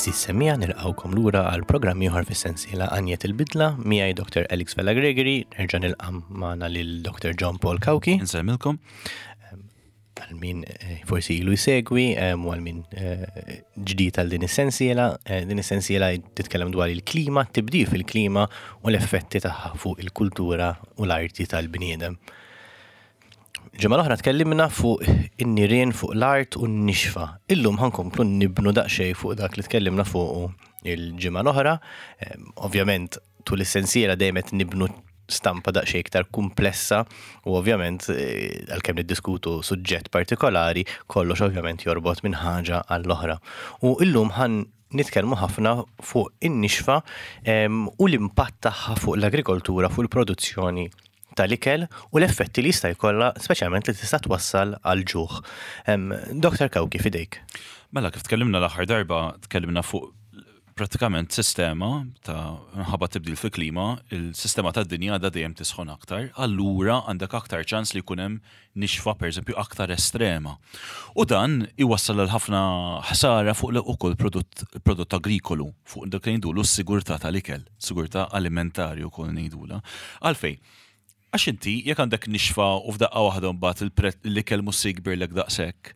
Għeżież semmiegħa nilqgħukom lura għal programm ieħor fis-sensiela Għanjet il-Bidla miegħi Dr. Alex Vella Gregory, nerġa' nilqa' magħna lil Dr. John Paul Cauchi. Insellmilkom. Għal min eh, forsi ilu jsegwi eh, u għal min eh, ġdid għal din is-sensiela, din is-sensiela titkellem dwar il-klima, tibdil fil-klima u l-effetti tagħha fuq il-kultura u l-arti tal-bniedem. Ġimgħa l-oħra tkellimna fuq in-nirien fuq l-art u n-nixfa. Illum ħankomplu nibnu daqsxejn fuq dak li tkellimna fuqu il-ġimgħa l-oħra. Ehm, ovvjament tul is-sensiela dejjem qed nibnu stampa daqsxejn iktar komplessa u ovvjament eh, għalkemm niddiskutu suġġett partikolari, kollox ovvjament jorbot minn ħaġa għall-oħra. U illum ħan nitkellmu ħafna fuq in-nixfa ehm, u l-impatt tagħha fuq l-agrikoltura, fuq il-produzzjoni tal-ikel u l-effetti li jista' jkollha speċjalment li tista' twassal għal ġuħ. Dr. Kawki fidejk. Mela kif tkellimna l-aħħar darba tkellimna fuq pratikament sistema ta' minħabba tibdil fil-klima, il-sistema tad-dinja għadha dejjem tisħon aktar, allura għandek aktar ċans li jkun hemm nixfa pereżempju aktar estrema. U dan iwassal għal ħafna ħsara fuq ukoll prodott, prodott agrikolu, fuq dak li ngħidulu s-sigurtà tal-ikel, sigurtà alimentari wkoll ngħidula. Għalfejn? Għax inti jekk għandek nixfa u f'daqqa waħda mbagħad l-ikel mhux se jikbirlek daqshekk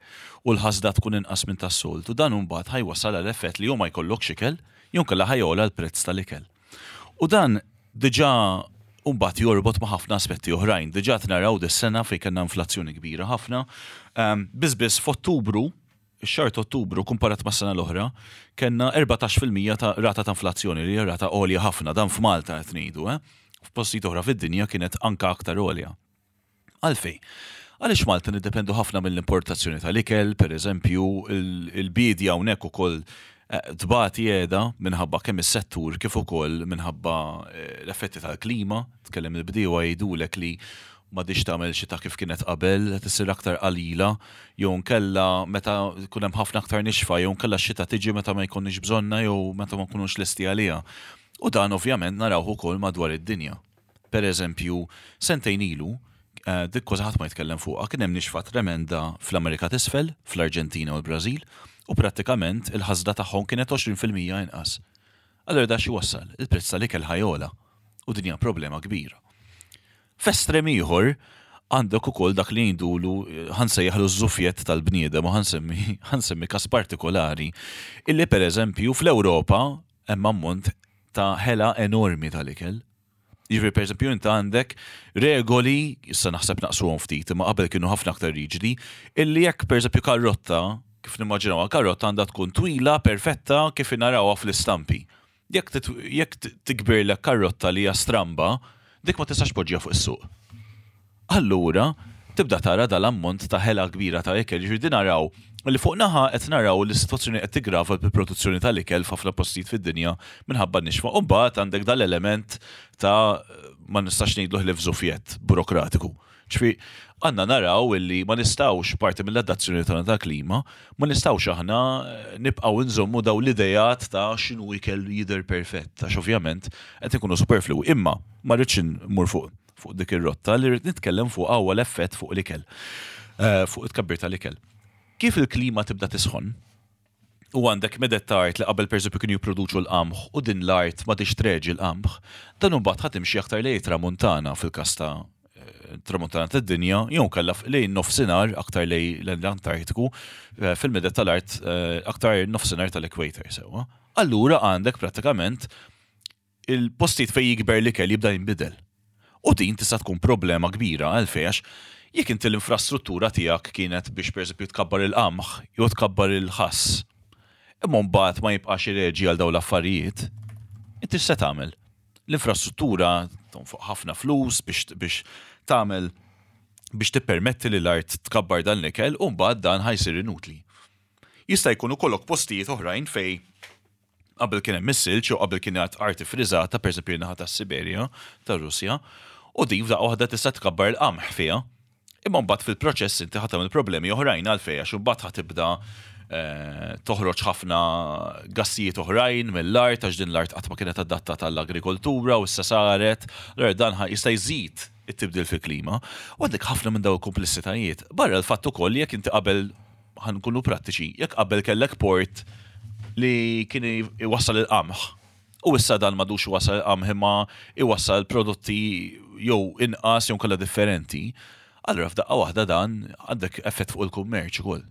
u l-ħasda tkun inqas minn tas-soltu, dan imbagħad ħa jwassal għal effett li jew ma jkollokx ikel jew inkella ħa jogħla l-prezz tal-ikel. U dan diġà mbagħad jorbot ma' ħafna aspetti oħrajn. Diġà qed naraw dis-sena fejn kellna inflazzjoni kbira ħafna. Ehm, biss biss f'Ottubru, ix-xahar ta' Ottubru kumparat mas-sena l-oħra, kellna 14% ta' rata ta' inflazzjoni li hija rata għolja ħafna dan f'Malta qed ngħidu, eh? F'postijiet oħra fid-dinja kienet anke aktar għolja. Għalfejn? Għaliex Malta niddependu ħafna mill-importazzjoni tal-ikel, per eżempju, il-biedja hawnhekk ukoll eh, tbati qiegħda minħabba kemm is-settur kif ukoll minħabba eh, l-effetti tal-klima, tkellem il-bdiewa jgħidulek li m'għadhiex tagħmel xita kif kienet qabel, qed issir aktar qalila, jew nkella meta jkun hemm ħafna aktar nixfa, jew nkella x-xita tiġi meta ma jkollniex bżonnha jew meta ma nkunux lesti għaliha. U dan ovvjament narawh ukoll madwar id-dinja. Per eżempju, sentejn ilu, eh, dik kważi ħadd ma jitkellem fuqha, kien hemm nixfa tremenda fl-Amerika t'Isfel, fl-Arġentina u l-Brażil, u prattikament il-ħasda tagħhom kienet 20% inqas. Allura da xi wassal? Il-prezz tal-ikel ħajola u din hija problema kbira. F'estrem ieħor għandek ukoll dak li jgħidulu ħansejjaħlu ż-żufjett tal-bniedem u ħansemmi ħansemmi każ partikolari illi pereżempju fl-Ewropa hemm ammont ta' ħela enormi tal-ikel. Jiġifieri pereżempju inti għandek regoli, issa naħseb naqsuhom ftit, imma qabel kienu ħafna aktar riġidi, illi jekk pereżempju karrotta, kif nimmaġinawha karrotta għandha tkun twila, perfetta, kif narawha fl-istampi. Jekk jekk tikbirlek karrotta li hija stramba, dik ma tistax tpoġġiha fuq is-suq. Allura, tibda tara dal-ammont ta' ħela kbira ta' ikel. Jiġifieri din naraw li fuq naħa qed naraw li s-sitwazzjoni qed tiggrava bil-produzzjoni tal-ikel f'ħafna postijiet fid-dinja minħabba n-nixfa. U mbagħad għandek dal-element ta' ma nistax ngħidlu ħlief żufjett burokratiku. Ġifieri għandna naraw illi ma nistgħux parti mill-adazzjoni tagħna tal-klima, ma nistgħux aħna nibqgħu nżommu dawn l-ideat ta' x'inhu ikel jidher perfett għax ovvjament qed inkunu superfluwi. Imma ma rridx immur fuq fuq dik ir-rotta li rrid nitkellem fuqha huwa l-effett fuq l-ikel, eh, fuq it-tkabbir tal-ikel. Kif il-klima tibda tisħon, u għandek medet ta' art li qabel pereżempju kienu jipproduċu l-qamħ u din l-art ma treġi l-qamħ, dan imbagħad ħa timxi aktar lejn tramuntana fil-każ ta' eh, tramuntana tad-dinja, jew kellha lejn nofsinhar aktar lejn l-Antartiku, eh, fil-medet tal-art aktar nofsinhar tal-equator sewwa. Allura għandek prattikament il-postijiet fejn jikber l-ikel jibda jinbidel. U din tista' tkun problema kbira għalfejn għax jekk inti l-infrastruttura tiegħek kienet biex pereżempju tkabbar il-qamħ jew tkabbar il-ħass, imma mbagħad ma jibqax ireġi għal dawn l-affarijiet, inti x'se tagħmel? L-infrastruttura tonfoq ħafna flus biex biex tagħmel biex tippermetti li l-art tkabbar dan l-ikel u mbagħad dan ħa jsir inutli. Jista' jkun ukollok postijiet oħrajn fejn Qabel kien hemm is-silġ jew qabel kienet art iffriżata, pereżempju in-naħa tas-Siberja, tar-Russja, u din f'daqqa waħda tista' tkabbar il-qamħ fiha. Imma mbagħad fil-proċess inti ħa tagħmel problemi oħrajn għalfejn għax imbagħad ħa tibda eh, toħroġ ħafna gassijiet oħrajn mill-art għax din l-art qatt ma kienet adattata għall-agrikoltura u issa saret, allura dan jista' jżid it-tibdil fil-klima. U għandek ħafna minn dawn il-kumplessitajiet. Barra l-fatt ukoll li jekk inti qabel ħa nkunu prattiċi, jekk qabel kellek port li kien iwassal il-qamħ. U issa dan m'għadux iwassal il-qamħ imma iwassal prodotti jew inqas jew kollha differenti. Allura f'daqqa waħda dan għandek effett fuq il-kummerċ ukoll.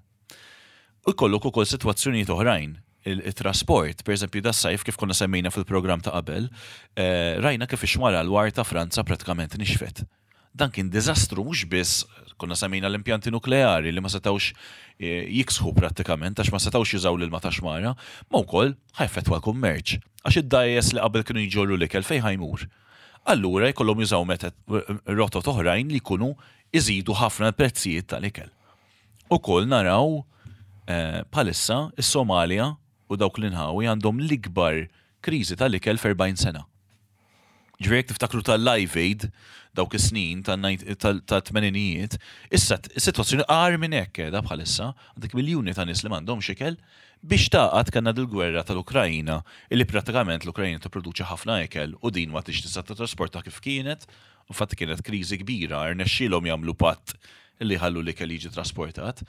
U jkollok ukoll sitwazzjonijiet oħrajn, il-trasport, per eżempju das-sajf kif konna semmejna fil-programm ta' qabel, eh, rajna kif ix-xmara l-war ta' Franza pratikament nixfet. Dan kien diżastru mhux biss konna semmejna l-impjanti nukleari li ma setgħux eh, jiksħu prattikament għax ma setgħux jużaw l-ilma ta' xmara, ma wkoll ħajfetwa l-kummerċ. Għax id-dgħajjes li qabel kienu jġorru l-ikel fejn ħajmur. Allura jkollhom jużaw rotot oħrajn li jkunu iżidu ħafna l-prezzijiet tal-ikel. Ukoll naraw bħalissa is-Somalja u dawk l-inħawi għandhom l-ikbar kriżi tal-ikel f'40 sena. Ġifieri jekk tiftakru tal-Live Aid dawk is-snin tat-tmeninijiet, issa is-sitwazzjoni agħar minn hekk qiegħda bħalissa, għandek miljuni ta' nies li m'għandhomx ikel, biex tagħqad kellna dil-gwerra tal-Ukraina illi prattikament l-Ukraina tipproduċi ħafna ikel u din ma tix tista' titrasporta kif kienet, infatti kienet kriżi kbira, rnexxielhom jagħmlu patt li jħallu l-ikel jiġi trasportat.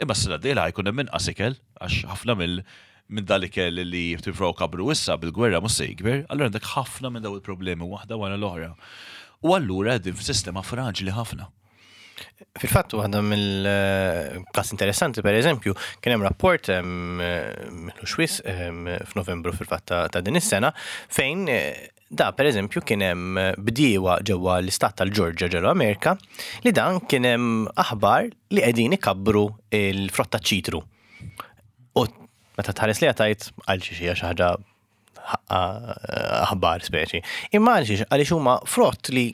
Imma s-sena d-dieħla ħa jkun hemm inqas ikel għax ħafna mill minn dal-ikel li jippruvaw kabru issa bil-gwerra mhux se jikber, allura għandek ħafna minn daw il-problemi waħda wara l-oħra. U allura qegħdin f'sistema fraġli ħafna. Fil-fatt waħda mill-każ interessanti per eżempju, kien hemm rapport mill xwis f'Novembru fil-fatt ta' din is-sena fejn Da pereżempju kien hemm bdiewa ġewwa l-istat tal-Ġorġja ġewwa Amerika li dan kien hemm aħbar li qegħdin ikabbru l-frott taċ-ċitru. U meta tħares liha tgħid għal xi xi ħaġa aħbar speċi. Imma għal xiex għaliex huma frott li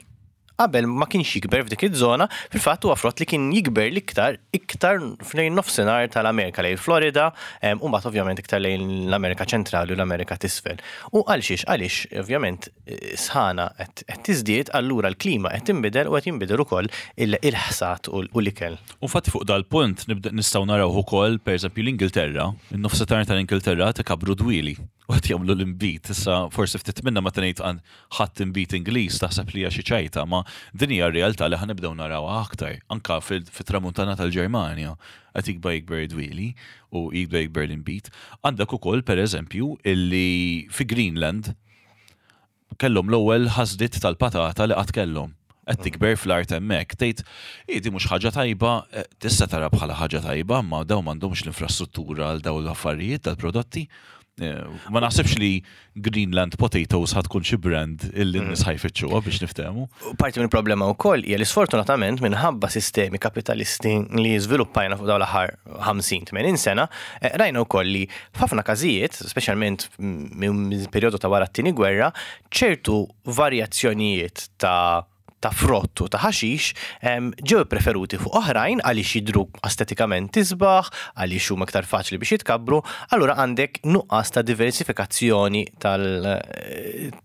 qabel ma kienx jikber f'dik iż-żona, fil-fatt huwa frott li kien jikber l-iktar iktar lejn nofsinhar tal-Amerika lejn Florida, u mbagħad ovvjament iktar lejn l-Amerika ċentrali u l-Amerika t'isfel. U għal xiex għaliex ovvjament sħana qed tiżdied, allura l-klima qed tinbidel u qed jinbidel ukoll il-ħsad u l-ikel. U infatti fuq dal-punt nibda nistgħu narawh ukoll pereżempju l-Ingilterra, in-nofsinhar tal-Ingilterra qed ikabbru dwieli. U qed jagħmlu l-inbid. Issa forsi ftit minna meta ngħid ħadd inbid Ingliż taħseb li hija xi ċajta, ma din hija r-realtà li ħa nibdew narawha aktar. Anka fit-tramuntana tal-Ġermanja qed jikber jikber id-dwieli u jikber jikber l-inbid. Għandek ukoll pereżempju illi fi Greenland kellhom l-ewwel ħasdiet tal-patata li qatt kellhom. Qed tikber fl-art hemmhekk. Tgħid, hi di mhux ħaġa tajba, tista' tara bħala ħaġa tajba, imma dawn m'għandhomx l-infrastruttura għal dawn l-affarijiet, dal-prodotti. Ma naħsibx li Greenland Potatoes ħa tkun xi brand illi n-nies ħa jfittxuha biex niftehmu. Parti mill-problema wkoll hija li sfortunatament minħabba sistemi kapitalisti li żviluppajna fuq dawn l-aħħar 50-80 sena, rajna wkoll li F'ħafna każijiet, speċjalment minn perjodu ta' wara t-Tieni Gwerra, ċertu varjazzjonijiet ta' ta' frott u ta' ħaxix ġew ippreferuti fuq oħrajn għaliex jidhru estetikament isbaħ, għaliex huma iktar faċli biex jitkabbru, allura għandek nuqqas ta' diversifikazzjoni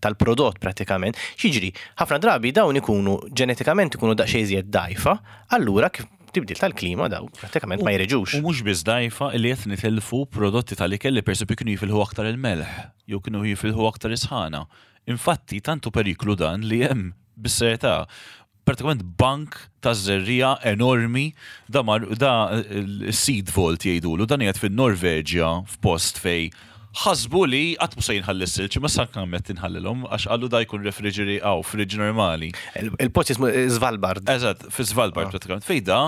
tal-prodott pratikament. X'jiġri? Ħafna drabi dawn ikunu ġenetikament ikunu daqsxejn iżjed dgħajfa, allura kif tibdil tal-klima daw prattikament ma jreġux. U mhux biss dgħajfa illi qed nitilfu prodotti tal-ikel li pereżempju kienu jifilħu aktar il-melħ jew kienu jifilħu aktar is-sħana. Infatti tant hu periklu dan li hemm bis-serjetà pratikament bank ta' żerriegħa enormi da mar da seed vault jgħidulu dan qiegħed fin-Norveġja f'post fejn ħasbu li qatt mhu se jinħall is-silġ imma issa kemm qed tinħallilhom għax qalu da jkun refriġeri aw fridge normali. Il-post jismu Svalbard. Eżatt, fi Svalbard pratikament. Fejn da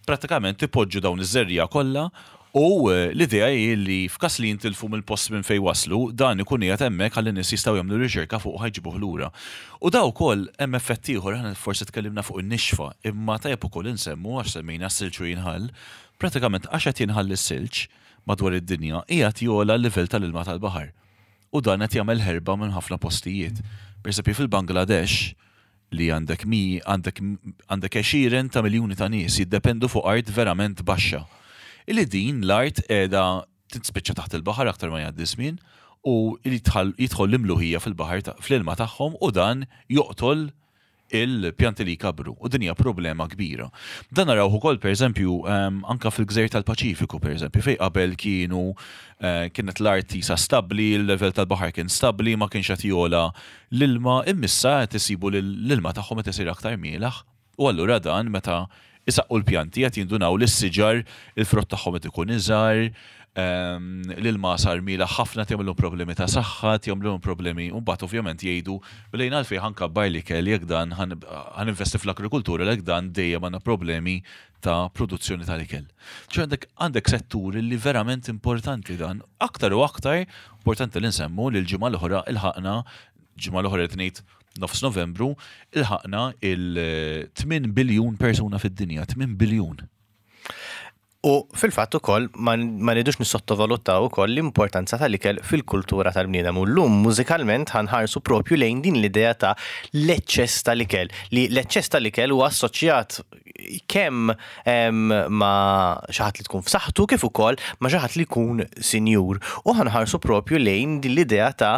pratikament ipoġġu dawn iż-żerriegħa kollha u l-idea hi li f'każ li jintilfu mill-post minn fejn waslu, dan ikun qiegħed hemmhekk ħalli n-nies jistgħu jagħmlu riċerka fuq u ħa jġibuh lura. U da wkoll hemm effett ieħor, aħna forsi tkellimna fuq in-nixfa, imma tajjeb ukoll insemmu għax semmejna s-silġ u jinħall, pratikament għax qed jinħall is-silġ, madwar id-dinja qiegħed jogħla l-livell tal-ilma tal-baħar u dan qed jagħmel ħerba minn ħafna postijiet. Pereżempju fil-Bangladesh li għandek mi għandek għandek għexieren ta' miljuni ta' nies jiddependu fuq art verament baxxa. Illi din l-art qiegħda tispiċċa taħt il-baħar aktar ma jgħaddi żmien u jidħol l-imluħija fil-baħar fl-ilma tagħhom u dan joqtol il-pjanti li jkabbru u din hija problema kbira. Dan narawh ukoll pereżempju ehm, anka fil-gżejjer tal-Paċifiku pereżempju fejn qabel kienu eh, kienet l-art tisa stabbli, il-level tal-baħar kien stabbli, ma kienx qed jogħla l-ilma, immissa qed isibu l-ilma tagħhom qed isir aktar mielaħ. U allura dan meta isaqqu l-pjanti qed jindunaw li s-siġar il-frott tagħhom qed ikun iżgħar. L-ilma sar mielaħ ħafna jagħmilhom problemi ta' saħħa, jagħmlilhom problemi, u mbagħad ovvjament jgħidu mela jien għalfejn ħa nkabbar l-ikel jekk dan ħa ninvesti fl-agrikultura jekk dan dejjem għandna problemi ta' produzzjoni tal-ikel. Ċe għandek għandek settur li verament importanti dan, aktar u aktar importanti li nsemmu li l-ġimgħa l-oħra ilħaqna ġimgħa l-oħra qed ngħid nofs Novembru, ilħaqna il-8 biljun persuna fid-dinja, 8 biljun. U fil-fatt ukoll ma rridux nissottovalutaw ukoll l-importanza tal-ikel fil-kultura tal-bniedem. U llum mużikalment ħa nħarsu propju lejn din l-idea ta' l-eċċess tal-ikel, li l-eċċess tal-ikel huwa assoċjat kemm ma' xi ħadd li tkun f'saħħtu kif ukoll ma' xi ħadd li jkun sinjur. U ħa nħarsu propju lejn din l-idea ta'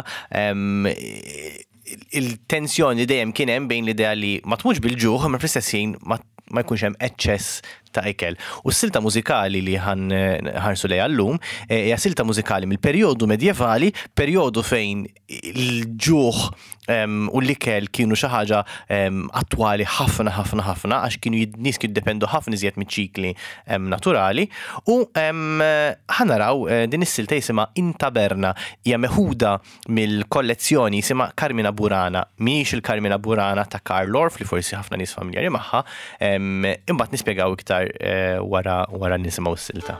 il-tensjoni li dejjem kien hemm bejn l-idea li ma tmutx bil-ġuħ imma fl-istess ħin ma ma jkunx hemm eċċess ta' ikel. U s-silta mużikali li ħanħarsu lejha llum eh, hija silta mużikali mill-perjodu medjevali, perjodu fejn il-ġuħ u l-ikel kienu xi ħaġa attwali ħafna ħafna ħafna għax kienu nies kienu jiddependu ħafna iżjed miċ-ċikli naturali u ħanaraw eh, din is-silta jisimha In Taberna hija meħuda mill-kollezzjoni jisimha Carmina Burana, mhijiex il-Carmina Burana ta' Carl Orff li forsi ħafna nies familjari magħha, imbagħad nispjegaw iktar eh, wara wara nisimgħu s-silta.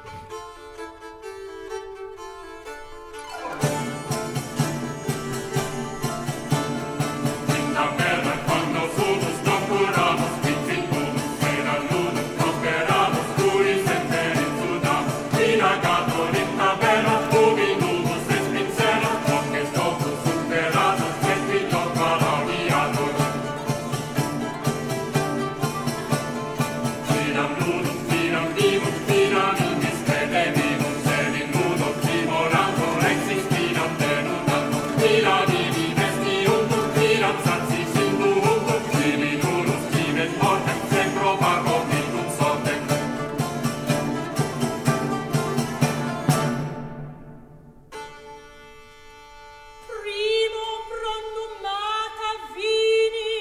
Primo pronumata vini,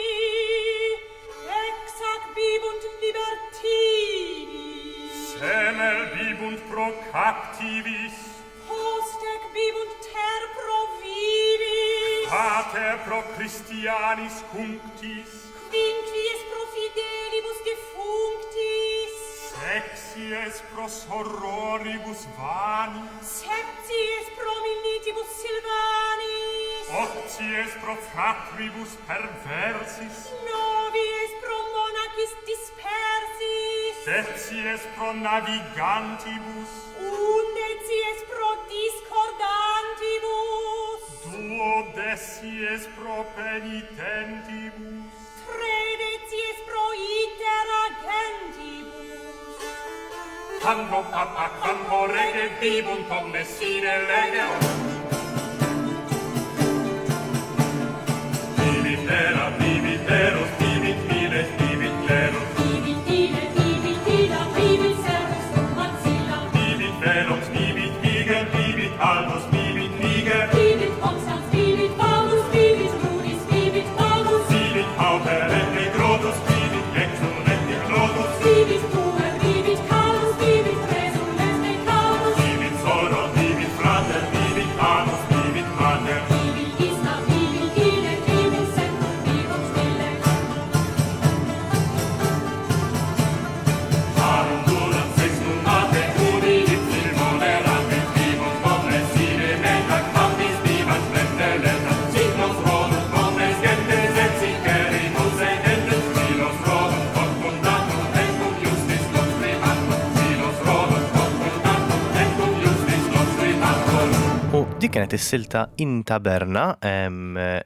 ex ac bibunt libertini. Semel bibunt pro captivis. Post ec bibunt ter pro vivis. Pater pro Christianis cunctis. Quinquies pro fidelibus defunctis. Sexies pro sororibus vanis. Septies pro militibus silvanis. Octies pro fratribus perversis. Novies pro monacis dispersis. Decies pro navigantibus. Undecies pro discordantibus. Duodecies pro penitentibus. Tredecies pro itera gentibus. Quando papa, quando rege, bibunt omnes sine lege. Vivit era, vivit eros, vivit miles, vivit cleros. Vivit ille, vivit illa, vivit servus cum maxilla. Vivit velox, vivit niger, vivit albus, vivit niger. Vivit constans, vivit Paulus, vivit Rudis, vivit Paulus. Vivit pauper et negrotus, vivit exul et ignotus. Vivit puer, vivit Carus, vivit resul et decanus. Vivit soror, vivit frater, vivit anus, vivit mater. Vivit ista, vivit ille, vivit semper, vivum stille. Parum durat sex numate, udi ipsil moderate, vivunt omnes sine meta, quambis vivat splendere, signos rodum omnes gentes et sicerimus edentes, filos rodum confundatum, et cum justis conscribatur, filos rodum confundatum, et cum justis conscribatur. U dik kienet is-silta In Taberna,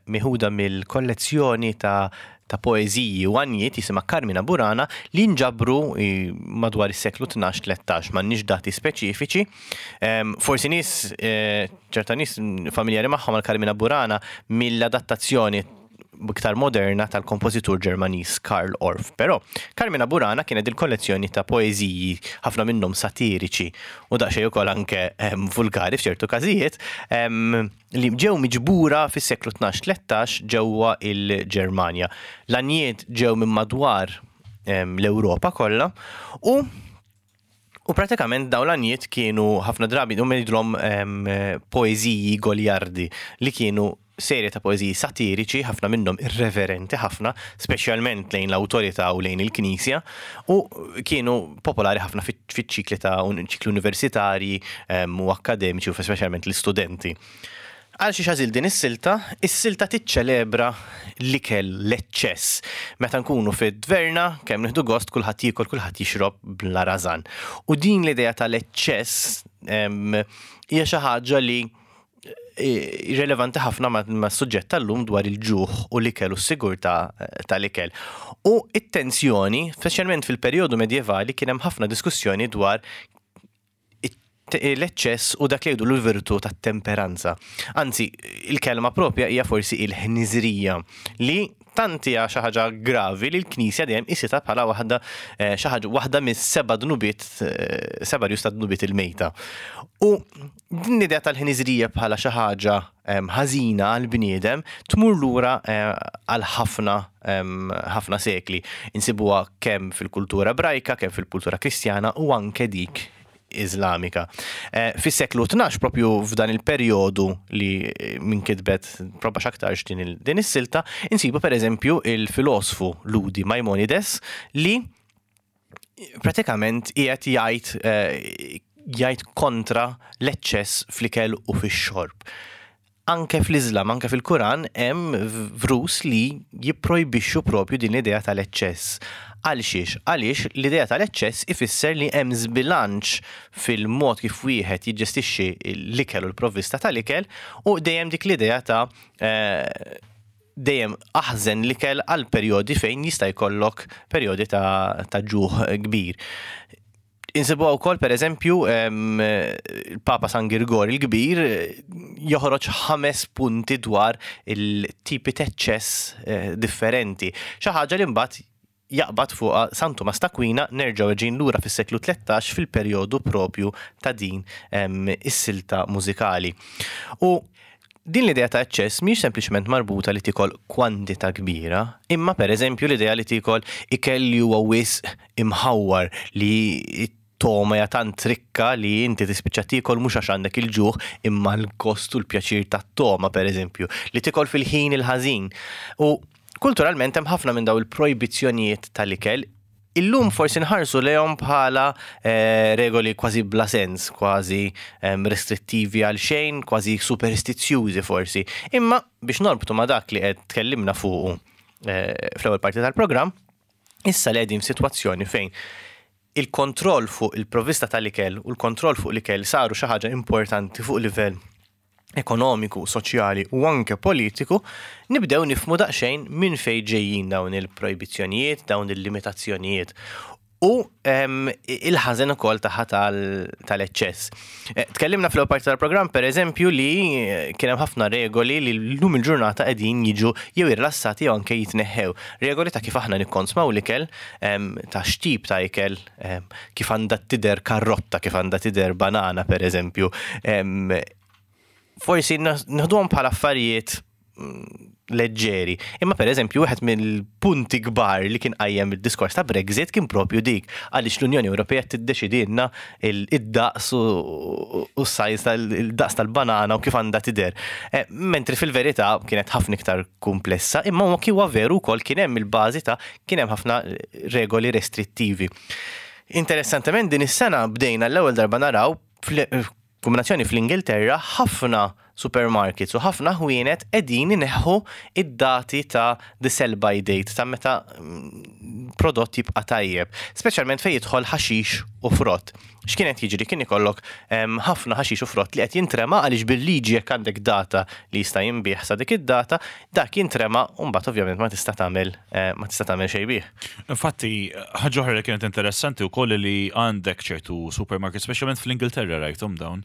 meħuda mill-kollezzjoni ta' ta' poeżiji u għanjiet jisimha Carmina Burana li nġabru madwar is-seklu 12-13, m'għandniex dati speċifiċi. Forsi nies, ċerta nies familjari magħhom għal Carmina Burana mill-adattazzjoni iktar moderna tal-kompożitur Ġermaniż Karl Orff. Però Carmina Burana kienet il-kollezzjoni ta' poeżiji, ħafna minnhom satiriċi u daqsxejn ukoll anke vulgari f'ċertu każijiet, li ġew miġbura fis-seklu 12-13 ġewwa il-Ġermanja. L-għanjiet ġew minn madwar l-Ewropa kollha u U pratikament dawn l-għanjiet kienu ħafna drabi huma jgħidulhom poeżiji goliardi li kienu serje ta' poeżiji satiriċi, ħafna minnhom irreverenti ħafna, speċjalment lejn l-awtorità u lejn il-Knisja, u kienu popolari ħafna fiċ-ċikli ta' ċikli universitarji u akkademiċi u speċjalment l-istudenti. Għal xiex għażilt din is-silta? Is-silta tiċċelebra l-ikel, l-eċċess. Meta nkunu fid-dverna, kemm nieħdu gost, kulħadd jiekol, kulħadd jixrob bla rażan. U din l-idea tal-eċċess hija xi ħaġa li rilevanti ħafna mas-suġġett tal-lum dwar il-ġuħ u l-ikel u s-sigurtà tal-ikel. U it-tensjoni, speċjalment fil-perjodu medjevali, kien hemm ħafna diskussjoni dwar l-eċċess u dak li jgħidu l-virtu tat-temperanza. Anzi, il-kelma propja hija forsi il-ħniżrija li tant hija xi ħaġa gravi li l-Knisja dejjem qisitha bħala waħda eh, xi ħaġa waħda mis-seba' dnubiet eh, seba' rjus ta' dnubiet il-mejta. U din l-idea tal-ħniżrija bħala xi ħaġa ħażina għall-bniedem tmur lura eh, għal ħafna ħafna sekli. Insibuha kemm fil-kultura Ebrajka, kemm fil-kultura Kristjana u anke dik Iżlamika. Eh, fis-seklu 12 propju f'dan il-perjodu li eh, minn kitbet proba x'aktarx din, din is-silta, insibu pereżempju il-filosfu Ludi Maimonides li pratikament qiegħed jgħid eh, jgħid kontra l-eċċess fl-ikel u fix-xorb. Anke fl-Iżlam, anke fil-Kuran hemm vrus li jipprojbixxu propju din l-idea tal-eċċess. Għal xiex? Għaliex l-idea tal-eċċess ifisser li hemm żbilanċ fil-mod kif wieħed jiġġestixxi l-ikel u l-provvista tal-ikel u dejjem dik l-idea ta' eh, dejjem aħżen l-ikel għal perjodi fejn jista' jkollok perjodi ta', ta ġuħ kbir. Insibuha wkoll pereżempju il-Papa San Girgor il-Kbir joħroġ ħames punti dwar il-tipi t'eċċess eh, differenti. Xi ħaġa li mbagħad jaqbad fuqha San Tumas t'Akwina nerġgħu ġejjin lura fis-seklu 13 fil-perjodu propju ta' din is-silta mużikali. U din l-idea ta' eċċess mhijiex sempliċement marbuta li tiekol kwantità kbira, imma pereżempju l-idea li tiekol ikel li huwa wisq imħawwar li t-togħma hija tant rikka li inti tispiċċa tiekol mhux għax għandek il-ġuħ imma l-gost u l-pjaċir tat-togħma pereżempju, li tiekol fil-ħin il-ħażin. U kulturalment hemm ħafna minn dawn il-projbizzjonijiet tal-ikel illum forsi nħarsu lejhom bħala eh, regoli kważi bla sens, kważi ehm, restrittivi għal xejn, kważi superstizzjużi forsi. Imma biex norbtu ma' dak li qed tkellimna fuqu eh, fl-ewwel parti tal-programm, Issa li qegħdin f'sitwazzjoni fejn il-kontroll fuq il-provvista tal-ikel u l-kontroll fuq l-ikel saru xi ħaġa importanti fuq livell ekonomiku, soċjali u anke politiku, nibdew nifhmu daqsxejn minn fejn ġejjin dawn il-projbizzjonijiet, dawn il-limitazzjonijiet u ehm, il-ħażen ukoll tagħha tal-eċċess. Eh, tkellimna fl-ewwel parti tal-programm pereżempju li eh, kien hemm ħafna regoli li llum il-ġurnata qegħdin jiġu jew irlassati jew anke jitneħħew. Regoli ta' kif aħna nikkonsmaw l-ikel, ehm, ta' x'tip ta' ikel, ehm, kif għandha tidher karrotta, kif għandha tidher banana pereżempju. Ehm, forsi nieħduhom bħala affarijiet leġġeri. Imma per eżempju, wieħed mill-punti kbar li kien qajjem id-diskors ta' Brexit kien propju dik għaliex l-Unjoni Ewropea tiddeċidilna id-daqs u s-sajz tal-daqs tal-banana u kif għandha tidher. Eh, mentri fil-verità kienet ħafna iktar komplessa, imma huwa huwa veru wkoll kien hemm il-bażi ta' kien hemm ħafna regoli restrittivi. Interessantement din is-sena bdejna l-ewwel darba naraw Kombinazzjoni fl-Ingilterra ħafna supermarkets u ħafna ħwienet qegħdin ineħħu id-dati ta' the sell by date ta' meta mm, prodott jibqa' tajjeb, speċjalment fejn jidħol ħaxix u frott. X'kien qed jiġri kien ikollok ħafna ħaxix u frott li qed jintrema għaliex bil-liġi jekk għandek data li jista' jinbiegħ sa dik id-data, dak jintrema u mbagħad ovvjament ma tista' tagħmel eh, ma tista' tagħmel xejn bih. Infatti, ħaġa oħra li kienet interessanti wkoll li għandek ċertu supermarket, speċjalment fl-Ingilterra rajthom dawn,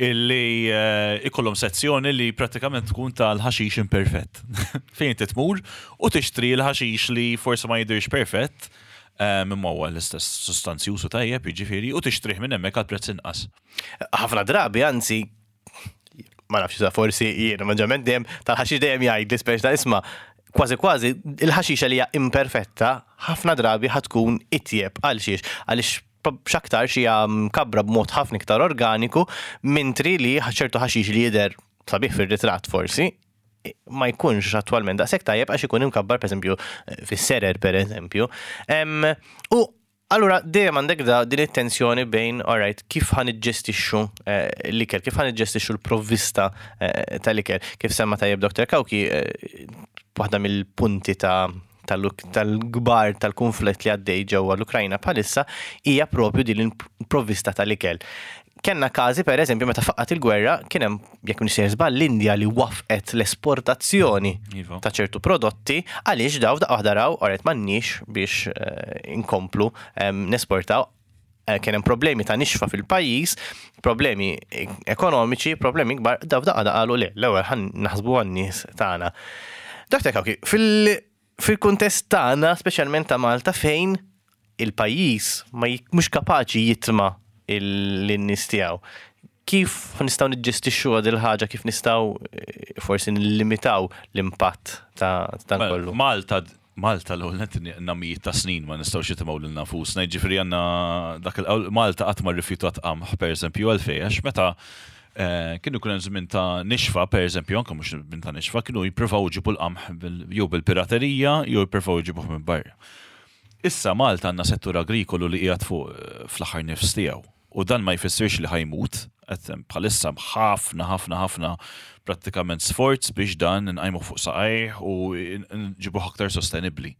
illi eh, ikollhom sezzjoni li prattikament tkun tal-ħaxix imperfett. Fejn inti tmur u tixtri l-ħaxix li forsi ma jidhirx perfett, eh, imma huwa l-istess sustanzjuż u tajjeb, jiġifieri, u tixtrih minn hemmhekk għal prezz inqas. Ħafna drabi, anzi, ma nafx sa forsi jiena maġġament dejjem tal-ħaxix dejjem jgħid li speċ ta' isma' kważi kważi il-ħaxixa li hija imperfetta ħafna drabi ħatkun itjeb għal xiex għaliex x'aktarx hija mkabbra b'mod ħafna iktar organiku mentri li ċertu ħaxix li jidher sabiħ fir-ritratt forsi ma jkunx attwalment daqshekk tajjeb għax ikun imkabbar pereżempju fis-serer pereżempju. U allura dejjem għandek da din it-tensjoni bejn alright kif ħa niġġestixxu eh, l-ikel, kif ħa niġġestixxu l-provvista eh, tal-ikel. Kif semma tajjeb Dr. Cauchi, eh, waħda mill-punti ta' tal-kbar tal-konflitt li għaddej ġewwa l-Ukrajna bħalissa hija propju din il-provvista tal-ikel. Kenna każi per eżempju meta faqqat il-gwerra kien hemm jekk m'iniex sejjer żball l-Indja li wafqet l-esportazzjoni ta' ċertu prodotti għaliex daw daqqa waħda raw alright m'għandniex biex inkomplu nesportaw kien hemm problemi ta' nixfa fil-pajjiż, problemi ekonomiċi, problemi kbar, daw daqqa qalu le, l-ewwel ħan naħsbu għan-nies tagħna. Dr. Cauchi, fil-kuntest tagħna, speċjalment ta' Malta fejn il-pajjiż ma mhux kapaċi jitma lin-nies tiegħu. Kif nistgħu niġġestixxu il ħaġa kif nistgħu forsi nillimitaw l-impatt ta' dan Mela, kollu? Malta l-ewwel nett mijiet ta' snin ma nistgħux jitimgħu lil nafusna, jiġifieri għandna dak il Malta qatt ma rrifjutat qamħ pereżempju għalfejn għax meta kienu jkun hemm żmien ta' nixfa pereżempju anke mhux żmien ta' nixfa kienu jippruvaw iġibu l-qamħ jew bil-piraterija jew jippruvaw iġibuh minn barra. Issa Malta għandna settur agrikolu li qiegħed fuq fl-aħħar nifs tiegħu. U dan ma jfissirx li ħa jmut, qed bħalissa ħafna ħafna ħafna prattikament sforz biex dan nqajmuh fuq saqajh u nġibuh aktar sostenibbli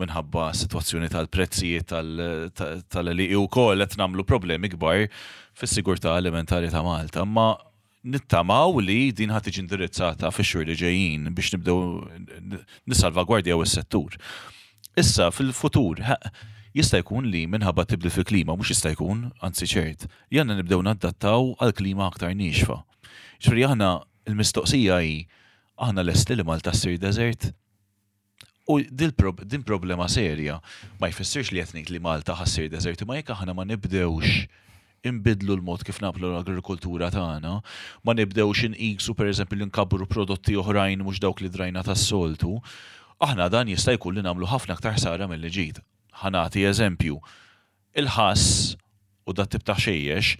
minħabba situazzjoni tal-prezzijiet tal-għelieqi u koll qed nagħmlu problemi kbar fis-sigurtà alimentari ta' Malta. Ma nittamaw li din ħa tiġi indirizzata fix-xhur li ġejjin biex nibdew nissalvagwardjaw is-settur. Issa fil-futur jista' jkun li minħabba tibdil fil-klima, mhux jista' jkun, anzi ċert, li għandna nibdew nadattaw għal klima aktar niexfa. Ġifieri aħna il-mistoqsija hi aħna lesti li Malta ssir desert? U din problema serja ma jfissirx li qed ngħid li Malta ħa ssir desert, imma jekk aħna ma nibdewx imbidlu l-mod kif nagħmlu l-agrikoltura tagħna, ma nibdewx inqisu pereżempju li nkabbru prodotti oħrajn mhux dawk li drajna tas-soltu, aħna dan jista' jkun li nagħmlu ħafna aktar ħsara milli ġid. Ħa nagħti eżempju. Il-ħass u dat tip ta' ħxejjex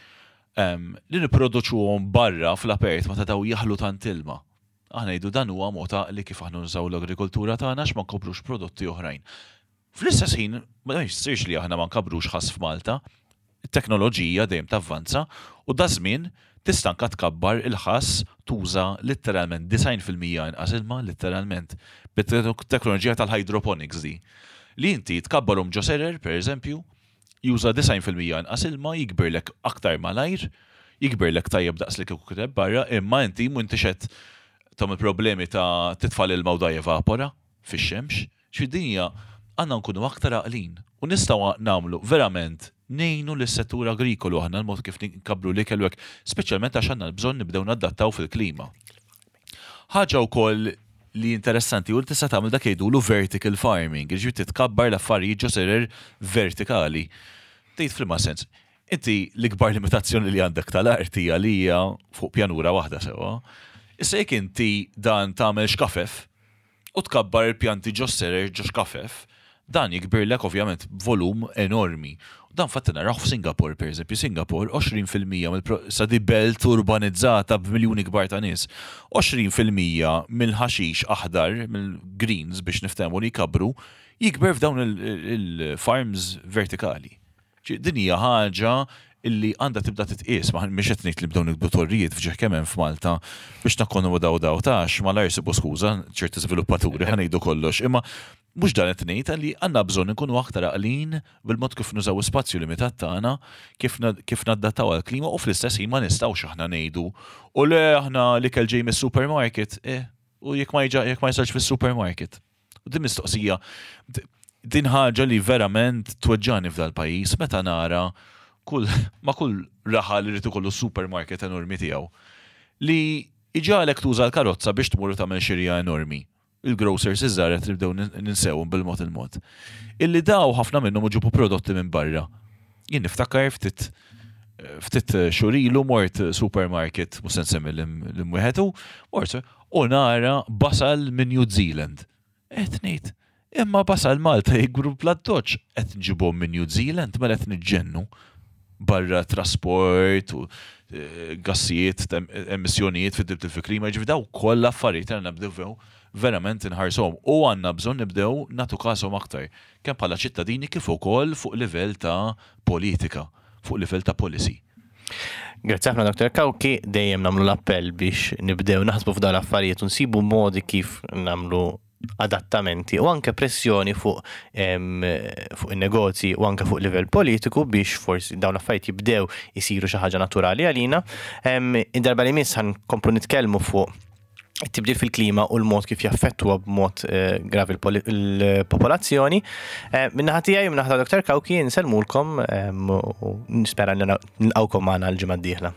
li nipproduċuhom barra fl-apert meta daw jaħlu tant ilma. Aħna ngħidu dan huwa mod għaqli kif aħna nużaw l-agrikoltura tagħna għax ma nkoprux prodotti oħrajn. Fl-istess ħin, ma jfissirx li aħna ma nkabrux ħass f'Malta. It-teknoloġija dejjem tavvanza u da żmien tista' anka tkabbar il-ħass tuża letteralment 90% inqas ilma letteralment bit-teknoloġija tal-hydroponics di. Li inti tkabbarhom ġo serer, per eżempju, juża 90% inqas ilma, jikbirlek aktar malajr, jikbirlek tajjeb daqs li kieku kiteb barra, imma inti m'intix qed tagħmel problemi ta' titfa' l-ilma u da jevapora fix-xemx. Xi dinja għandna nkunu aktar għaqlin u nistgħu nagħmlu verament ngħinu lis-settur agrikolu aħna l-mod kif nkabbru l-ikel u hekk, speċjalment għax għandna l-bżonn nibdew nadattaw fil-klima. Ħaġa wkoll li interessanti u li tista' tagħmel dak jgħidulu vertical farming, jiġifieri titkabbar l-affarijiet ġo serer vertikali. Tgħid f'liema sens. Inti l-ikbar limitazzjoni li għandek tal-art hija li hija fuq pjanura waħda sewwa. Issa jekk inti dan tagħmel xkafef u tkabbar il-pjanti ġo serer ġo xkafef, dan jikbirlek ovvjament b'volum enormi. Dan fatti naraw f'Singapore, per eżempju, Singapore 20% mill sa di belt urbanizzata b'miljuni kbar ta' nies. 20% mill-ħaxix aħdar, mill-greens biex niftehmu li jkabru, jikber f'dawn il-farms vertikali. Din hija ħaġa illi għandha tibda titqies, ma mhix qed ngħid li nibdew nikbu torrijiet f'ġieħ kemm hemm f'Malta biex nakkomodaw daw tax, malajr sibu skuża ċerti żviluppaturi ħa ngħidu kollox, imma mhux dan qed ngħid li għandna bżonn inkunu aktar għaqlin bil-mod kif nużaw ispazju limitat tagħna, kif nadattaw għall-klima u fl-istess ħin ma nistgħux aħna ngħidu u le aħna l-ikel ġej mis-supermarket, eh, u jekk ma jekk ma jisalx fis-supermarket. U din mistoqsija, din ħaġa li verament tweġġani f'dal pajjiż meta nara kull ma kull raħal li irid ikollu supermarket enormi tiegħu li iġagħlek tuża l-karozza biex tmur u tagħmel xirja enormi. Il-grocers iż-żgħar qed nibdew ninsewhom bil-mod il-mod. Illi daw ħafna minnhom iġibu prodotti minn barra. Jien niftakar ftit xhur ilu mort supermarket, mhux se nsemmi l-imwieħed mort u nara basal minn New Zealand. Qed ngħid, Imma basal Malta jikbru bl-addoċċ qed nġibhom minn New Zealand mela qed niġġennu barra trasport u eh, gassijiet, emissjonijiet fid-dibdil fil-klima, ġifieri daw kollha affarijiet għandna nibdew verament inħarsuhom u għandna bżonn nibdew nagħtu kashom aktar kemm bħala ċittadini kif ukoll fuq livell ta' politika, fuq livell ta' policy. Grazzi ħafna Dr. Cauchi, dejjem nagħmlu l-appell biex nibdew naħsbu f'dawn l-affarijiet u nsibu modi kif nagħmlu adattamenti u anke pressjoni fuq fuq in-negozji u anke fuq livell politiku biex forsi dawn l-affarijiet jibdew isiru xi ħaġa naturali għalina. Id-darba li miss ħankomplu nitkellmu fuq it-tibdil fil-klima u l-mod kif jaffettwa b'mod eh, gravi l-popolazzjoni. Eh, Minnaħa tiegħi u minnaħa ta' Dr. Cauchi nsellmulkom u nispera nilqawkom magħna l-ġimgħa d-dieħla.